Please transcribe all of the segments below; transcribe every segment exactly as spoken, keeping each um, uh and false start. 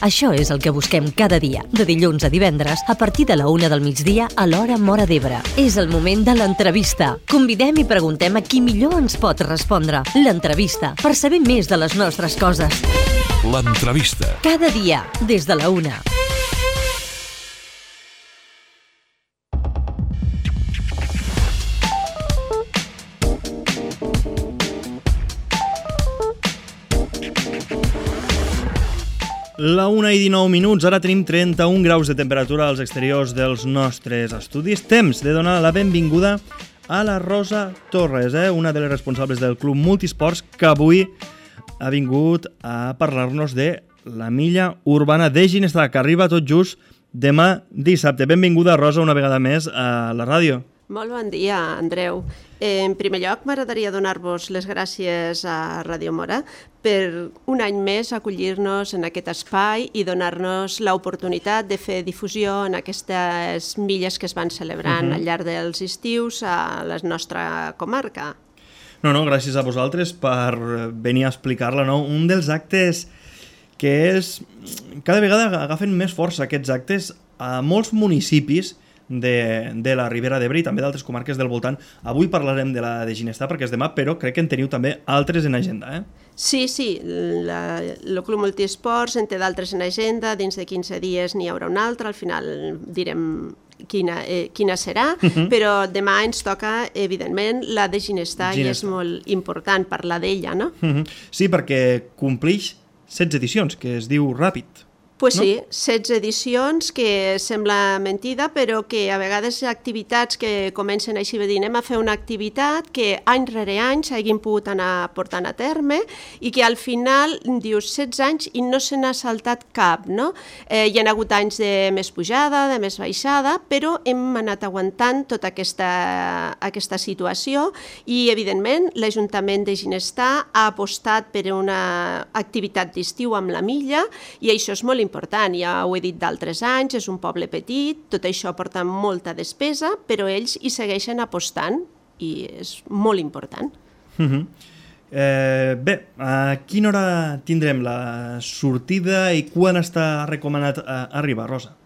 Això és el que busquem cada dia, de dilluns a divendres, a partir de la una del migdia a l'hora Móra d'Ebre. És el moment de l'entrevista. Convidem i preguntem a qui millor ens pot respondre. L'entrevista, per saber més de les nostres coses. L'entrevista. Cada dia, des de la una. La una i dinou minuts, ara tenim trenta-un graus de temperatura als exteriors dels nostres estudis. Temps de donar la benvinguda a la Rosa Torres, eh? una de les responsables del Club Multisports, que avui ha vingut a parlar-nos de la milla urbana de Ginestar, que arriba tot just demà dissabte. Benvinguda, Rosa, una vegada més a la ràdio. Molt bon dia, Andreu. En primer lloc, m'agradaria donar-vos les gràcies a Ràdio Móra per un any més acollir-nos en aquest espai i donar-nos l'oportunitat de fer difusió en aquestes milles que es van celebrant uh-huh. al llarg dels estius a la nostra comarca. No, no, gràcies a vosaltres per venir a explicar-la, no? Un dels actes que és... Cada vegada agafen més força aquests actes a molts municipis de, de la Ribera d'Ebre i també d'altres comarques del voltant. Avui parlarem de la de Ginestar perquè és demà, però crec que en teniu també altres en agenda, eh? Sí, sí, la, el Club Multisports en té d'altres en agenda, dins de quinze dies n'hi haurà un altre, al final direm quina, eh, quina serà, uh-huh. però demà ens toca, evidentment, la de Ginestar, Ginestar. I és molt important parlar d'ella, no? Uh-huh. Sí, perquè complix setze edicions, que es diu ràpid. Pues no? sí, setze edicions, que sembla mentida, però que a vegades activitats que comencen així, dir, anem a fer una activitat que any rere any s'hagin pogut anar portant a terme i que al final dius setze anys i no se n'ha saltat cap, no? Eh, hi ha hagut anys de més pujada, de més baixada, però hem anat aguantant tota aquesta, aquesta situació i, evidentment, l'Ajuntament de Ginestar ha apostat per una activitat d'estiu amb la milla i això és molt important, ja ho he dit d'altres anys, és un poble petit, tot això porta molta despesa, però ells hi segueixen apostant i és molt important. Uh-huh. eh, bé, a quina hora tindrem la sortida i quan està recomanat eh, arribar, Rosa?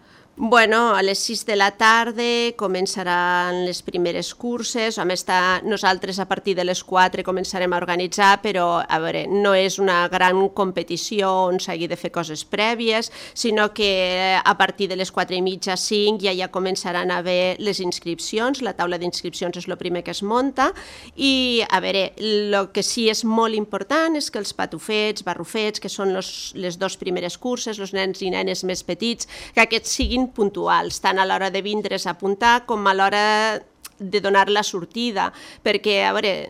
Bueno, a les sis de la tarda començaran les primeres curses, a més nosaltres a partir de les quatre començarem a organitzar, però a veure, no és una gran competició on s'hagi de fer coses prèvies, sinó que a partir de les quatre i mitja, cinc, ja ja començaran a haver les inscripcions, la taula d'inscripcions és el primer que es munta, i a veure, el que sí és molt important és que els patufets, barrufets, que són los, les dues primeres curses, els nens i nenes més petits, que aquests siguin puntuals, tant a l'hora de vindre's a apuntar com a l'hora de donar la sortida, perquè, a veure,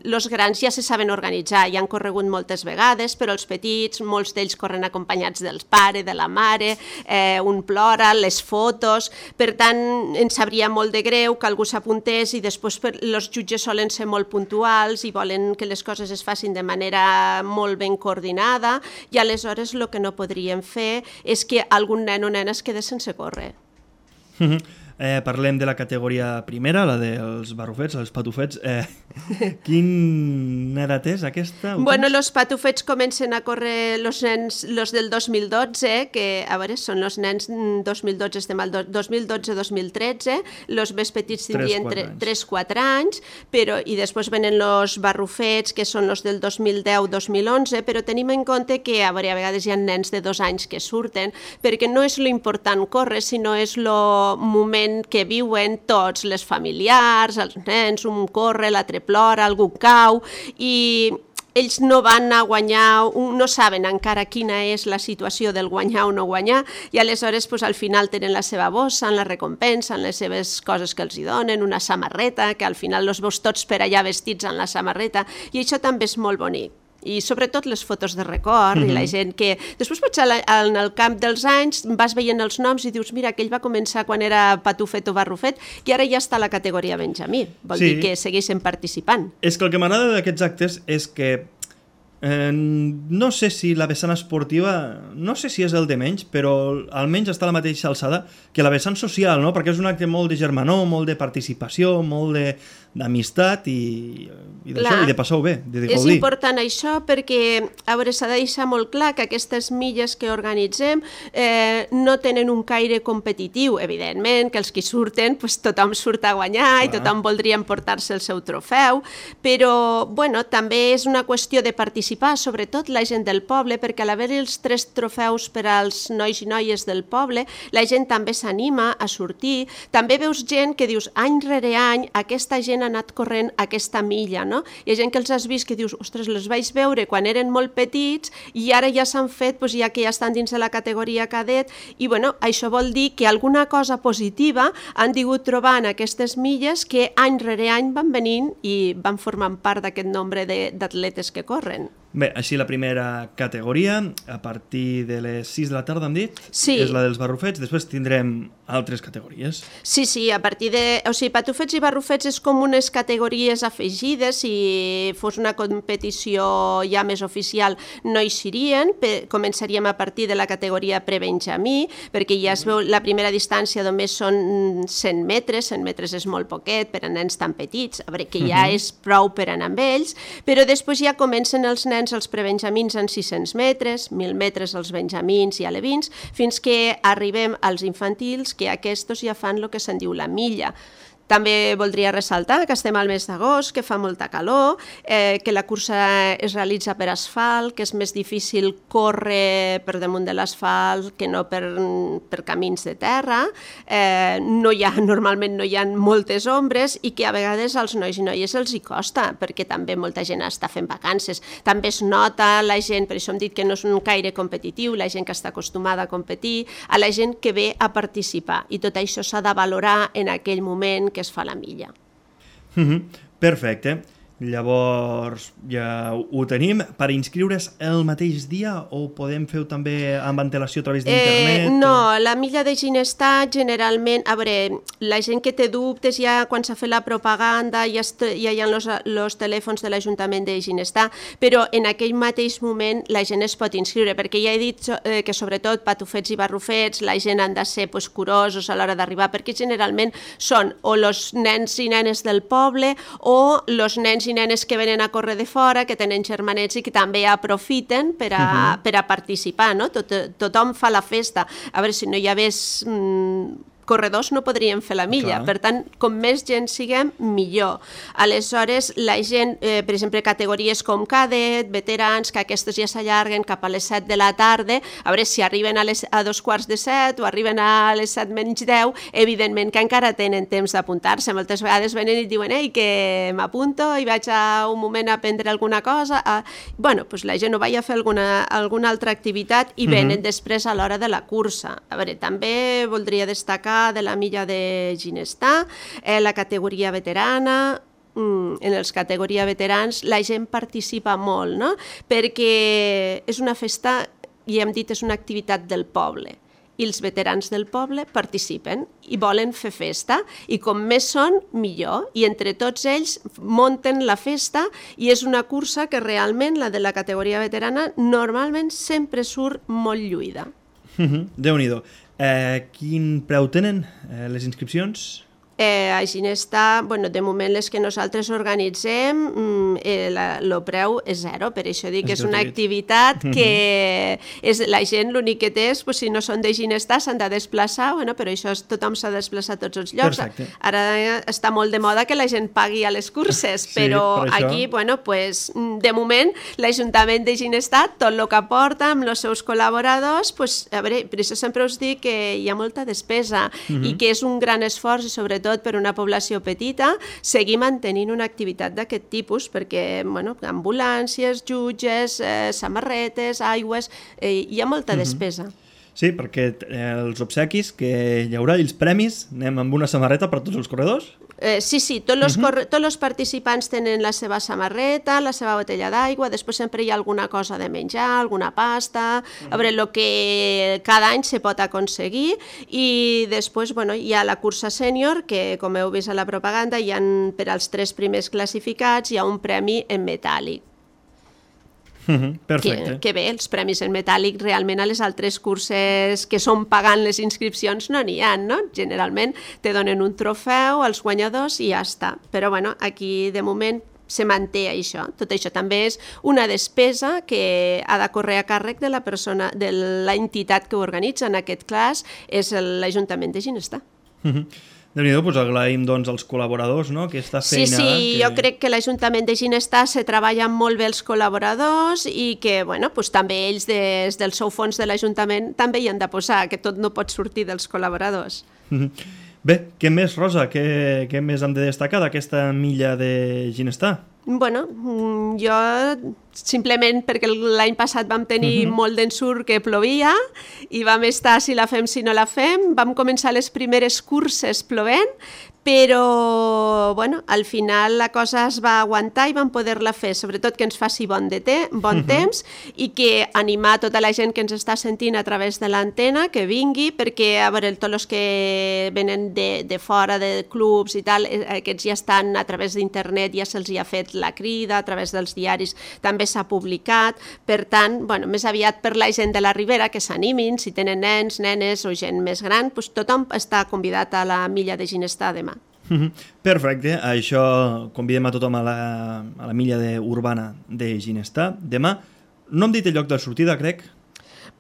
els grans ja se saben organitzar, ja han corregut moltes vegades, però els petits, molts d'ells corren acompanyats del pare, de la mare, eh, un plora, les fotos, per tant, ens sabria molt de greu que algú s'apuntés i després els jutges solen ser molt puntuals i volen que les coses es facin de manera molt ben coordinada i aleshores el que no podríem fer és que algun nen o nena es quedés sense córrer. Mhm. Eh, parlem de la categoria primera, la dels barrufets, els patufets. Eh, quina edat és aquesta? Bueno, els patufets comencen a córrer els nens los del dos mil dotze, que a veure, són els nens dos mil dotze, estem al dos mil dotze dos mil tretze, els més petits tindrien tres quatre anys, però, i després venen els barrufets, que són els del dos mil deu dos mil onze, però tenim en compte que a, veure, a vegades hi ha nens de dos anys que surten, perquè no és l'important córrer, sinó és el moment que viuen tots, les familiars, els nens, un corre, l'altre plora, algú cau, i ells no van a guanyar, no saben encara quina és la situació del guanyar o no guanyar, i aleshores pues, al final tenen la seva bossa, en la recompensa, en les seves coses que els hi donen, una samarreta, que al final els veus tots per allà vestits en la samarreta, i això també és molt bonic. I sobretot les fotos de record, mm-hmm. i la gent que... Després potser en el camp dels anys vas veient els noms i dius, mira, aquell va començar quan era patufet o barrufet i ara ja està a la categoria Benjamí. Vol sí. dir que segueixen participant. És que el que m'agrada d'aquests actes és que Eh, no sé si la vessant esportiva, no sé si és el de menys, però almenys està a la mateixa alçada que la vessant social, no? Perquè és un acte molt de germanor, molt de participació, molt de d'amistat i, i d'això, i de passar-ho bé, de gaudir. És important això perquè, a veure, s'ha de deixar molt clar que aquestes milles que organitzem eh, no tenen un caire competitiu, evidentment, que els que surten, pues, tothom surt a guanyar i tothom voldria emportar-se el seu trofeu, però, bueno, també és una qüestió de participar, sobretot la gent del poble, perquè a l'haver els tres trofeus per als nois i noies del poble, la gent també s'anima a sortir, també veus gent que dius, any rere any, aquesta gent ha anat corrent aquesta milla, no? Hi ha gent que els has vist que dius, ostres, les vaig veure quan eren molt petits i ara ja s'han fet, doncs ja que ja estan dins de la categoria cadet, i bueno, això vol dir que alguna cosa positiva han tingut trobant aquestes milles que any rere any van venint i van formant part d'aquest nombre d'atletes que corren. Bé, així la primera categoria, a partir de les sis de la tarda, hem dit, sí. És la dels barrufets, després tindrem altres categories. Sí, sí, a partir de... O sigui, patufets i barrufets és com unes categories afegides, si fos una competició ja més oficial no hi serien, començaríem a partir de la categoria prebenjamí, perquè ja es veu, la primera distància només són cent metres, cent metres és molt poquet per a nens tan petits, a veure, que ja és prou per anar amb ells, però després ja comencen els nens els prebenjamins en sis-cents metres, mil metres els benjamins i alevins, fins que arribem als infantils, que aquests ja fan el que se'n diu la milla. També voldria ressaltar que estem al mes d'agost, que fa molta calor, eh, que la cursa es realitza per asfalt, que és més difícil córrer per damunt de l'asfalt que no per, per camins de terra, eh, no hi ha, normalment no hi ha moltes ombres i que a vegades als nois i noies els hi costa, perquè també molta gent està fent vacances. També es nota la gent, per això hem dit que no és un caire competitiu, la gent que està acostumada a competir, a la gent que ve a participar, i tot això s'ha de valorar en aquell moment que es fa la milla. Mm-hmm. Perfecte. Llavors ja ho tenim. Per inscriure's el mateix dia o podem fer-ho també amb antelació a través d'internet? Eh, no, la milla de Ginestar generalment, a veure, la gent que té dubtes ja quan s'ha fet la propaganda ja, ja hi ha els telèfons de l'Ajuntament de Ginestar, però en aquell mateix moment la gent es pot inscriure, perquè ja he dit eh, que sobretot patufets i barrufets la gent han de ser pues, curosos a l'hora d'arribar, perquè generalment són o els nens i nenes del poble o els nens i nenes que venen a córrer de fora, que tenen germanets i que també aprofiten per a, uh-huh. per a participar, no? Tot, tothom fa la festa. A veure, si no hi hagués mm, corredors no podríem fer la milla. Clar. Per tant, com més gent siguem, millor. Aleshores, la gent, eh, per exemple, categories com cadet, veterans, que aquestes ja s'allarguen cap a les set de la tarda, a veure si arriben a, les, a dos quarts de set o arriben a les set menys deu, evidentment que encara tenen temps d'apuntar-se. Moltes vegades venen i diuen ei, que m'apunto i vaig a un moment a aprendre alguna cosa. A... Bueno, doncs la gent ho vaig a fer alguna, alguna altra activitat i venen uh-huh. després a l'hora de la cursa. A veure, també voldria destacar de la milla de Ginestar, eh, la categoria veterana, mm, en els categoria veterans la gent participa molt, no? Perquè és una festa, i hem dit, és una activitat del poble, i els veterans del poble participen i volen fer festa, i com més són, millor, i entre tots ells munten la festa, i és una cursa que realment, la de la categoria veterana, normalment sempre surt molt lluïda. Mm-hmm. Déu-n'hi-do. Eh, quin preu tenen eh, les inscripcions? Eh, a Ginestar, bueno, de moment les que nosaltres organitzem, eh, la, el preu és zero, per això dic que és una activitat que és, la gent l'únic que té és, pues, si no són de Ginestar s'han de desplaçar, bueno, però això és, tothom s'ha de desplaçar a tots els llocs. Perfecte. Ara està molt de moda que la gent pagui a les curses, sí, però per aquí, bueno, pues, de moment l'Ajuntament de Ginestar, tot el que aporta amb els seus col·laboradors, pues, a veure, per això sempre us dic que hi ha molta despesa uh-huh. i que és un gran esforç, i sobretot per una població petita, seguir mantenint una activitat d'aquest tipus, perquè bueno, ambulàncies, jutges, eh, samarretes, aigües, eh, hi ha molta despesa. Sí, perquè els obsequis que hi haurà, els premis, anem amb una samarreta per tots els corredors? Eh, sí, sí, tots els, uh-huh. tots els participants tenen la seva samarreta, la seva botella d'aigua, després sempre hi ha alguna cosa de menjar, alguna pasta, uh-huh. a veure, el que cada any se pot aconseguir, i després bueno, hi ha la cursa sènior, que com heu vist a la propaganda, hi ha per als tres primers classificats, hi ha un premi en metàl·lic. Uh-huh, perfecte. Que, que bé, els premis en metàl·lic realment a les altres curses que són pagant les inscripcions no n'hi ha, no? Generalment te donen un trofeu als guanyadors i ja està. Però bueno, aquí de moment se manté això. Tot això també és una despesa que ha de córrer a càrrec de la persona, de l'entitat que ho organitza. En aquest cas és l'Ajuntament de Ginestar. Uh-huh. Déu-n'hi-do, doncs agraïm doncs, als col·laboradors, no?, aquesta feina... Sí, sí, que... jo crec que l'Ajuntament de Ginestar se treballen molt bé els col·laboradors i que, bueno, doncs també ells des del seu fons de l'Ajuntament també hi han de posar, que tot no pot sortir dels col·laboradors. Bé, què més, Rosa? Què, què més hem de destacar d'aquesta milla de Ginestar? Bueno, jo simplement perquè l'any passat vam tenir uh-huh. molt d'ensurt que plovia i vam estar si la fem, si no la fem, vam començar les primeres curses plovent, però bueno, al final la cosa es va aguantar i vam poder-la fer, sobretot que ens faci bon, de te, bon uh-huh. temps i que animar tota la gent que ens està sentint a través de l'antena, que vingui, perquè a veure, tots els que venen de, de fora, de clubs i tal, aquests ja estan a través d'internet, ja se'ls hi ha fet la crida, a través dels diaris també s'ha publicat, per tant, bueno, més aviat per la gent de la Ribera que s'animin, si tenen nens, nenes o gent més gran, doncs tothom està convidat a la milla de Ginestar demà. Perfecte, això convidem a tothom a la, a la milla de urbana de Ginestar demà. No hem dit el lloc de sortida, crec?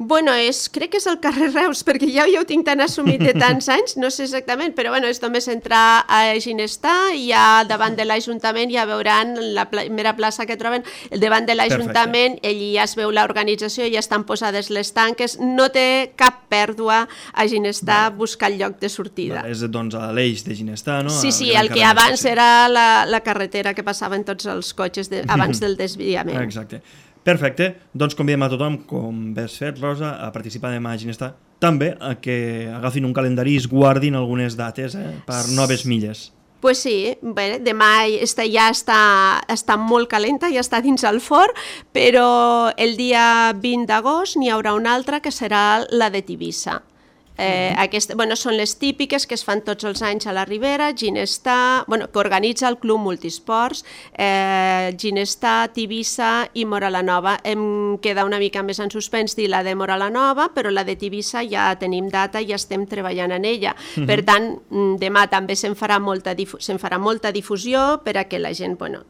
Bueno, és, crec que és el carrer Reus, perquè ja, ja ho tinc tan assumit de tants anys, no sé exactament, però bueno, és només entrar a Ginestar i ja davant de l'Ajuntament ja veuran la primera plaça que troben, davant de l'Ajuntament, allí ja es veu l'organització, ja estan posades les tanques, no té cap pèrdua a Ginestar vale. Buscar el lloc de sortida. Vale, és doncs a l'eix de Ginestar, no? Sí, sí, el que abans era la, la carretera que passaven tots els cotxes de, abans del desviament. Exacte. Perfecte, doncs convidem a tothom, com ves fet, Rosa, a participar demà a Ginestar. També a que agafin un calendari i es guardin algunes dates eh, per noves milles. Pues sí, bé, demà esta ja està, està molt calenta, ja està dins el forn, però el dia vint d'agost n'hi haurà una altra que serà la de Tivissa. Eh, aquest, bueno, són les típiques que es fan tots els anys a la Ribera, Ginestar, bueno, que organitza el Club Multisports, eh, Ginestar, Tivissa i Móra la Nova. Em queda una mica més en suspens dir la de Móra la Nova, però la de Tivissa ja tenim data i ja estem treballant en ella. Uh-huh. Per tant, demà també se'n farà, molta se'n farà molta difusió per a que la gent bueno,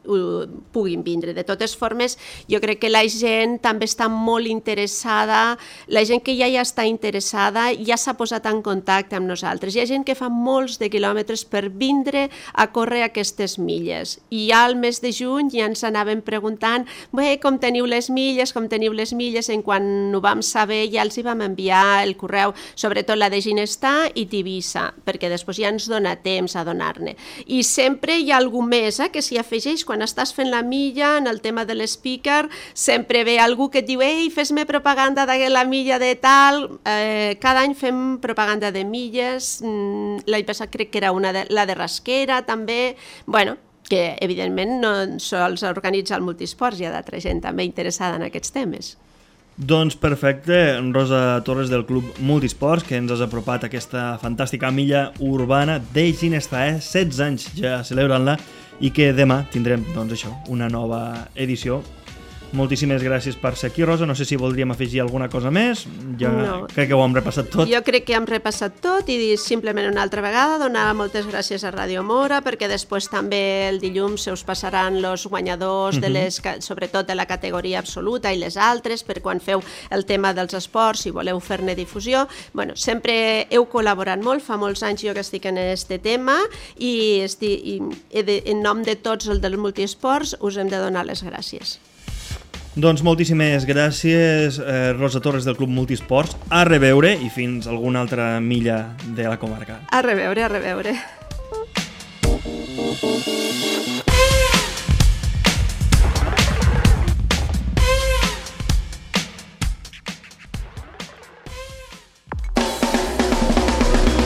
puguin vindre. De totes formes, jo crec que la gent també està molt interessada, la gent que ja hi està interessada ja s'ha posat en contacte amb nosaltres. Hi ha gent que fa molts de quilòmetres per vindre a córrer aquestes milles. I ja al mes de juny ja ens anàvem preguntant bé, com teniu les milles, com teniu les milles, en quan ho vam saber ja els hi vam enviar el correu, sobretot la de Ginestar i Tivissa, perquè després ja ens dona temps a donar-ne. I sempre hi ha algú més eh, que s'hi afegeix, quan estàs fent la milla, en el tema de l'speaker, sempre ve algú que et diu ei, fes-me propaganda de la milla de tal, eh, cada any fem propaganda de milles, l'any passat crec que era una de, la de Rasquera també, bueno, que evidentment no sols organitza el Multisports, hi ha d'altra gent també interessada en aquests temes. Doncs perfecte, Rosa Torres del Club Multisports, que ens has apropat a aquesta fantàstica milla urbana de Ginestar, eh? setze anys ja celebrant-la i que demà tindrem doncs això, una nova edició. Moltíssimes gràcies per ser aquí, Rosa. No sé si voldríem afegir alguna cosa més. Ja no. Crec que ho hem repassat tot. Jo crec que hem repassat tot i simplement una altra vegada donar moltes gràcies a Ràdio Móra perquè després també el dilluns se us passaran els guanyadors, uh-huh. de les, sobretot de la categoria absoluta i les altres, per quan feu el tema dels esports i voleu fer-ne difusió. Bueno, sempre heu col·laborat molt, fa molts anys jo que estic en aquest tema i, estic, i en nom de tots els dels multiesports us hem de donar les gràcies. Doncs moltíssimes gràcies, eh, Rosa Torres del Club Multisports. A reveure i fins a alguna altra milla de la comarca. A reveure, a reveure.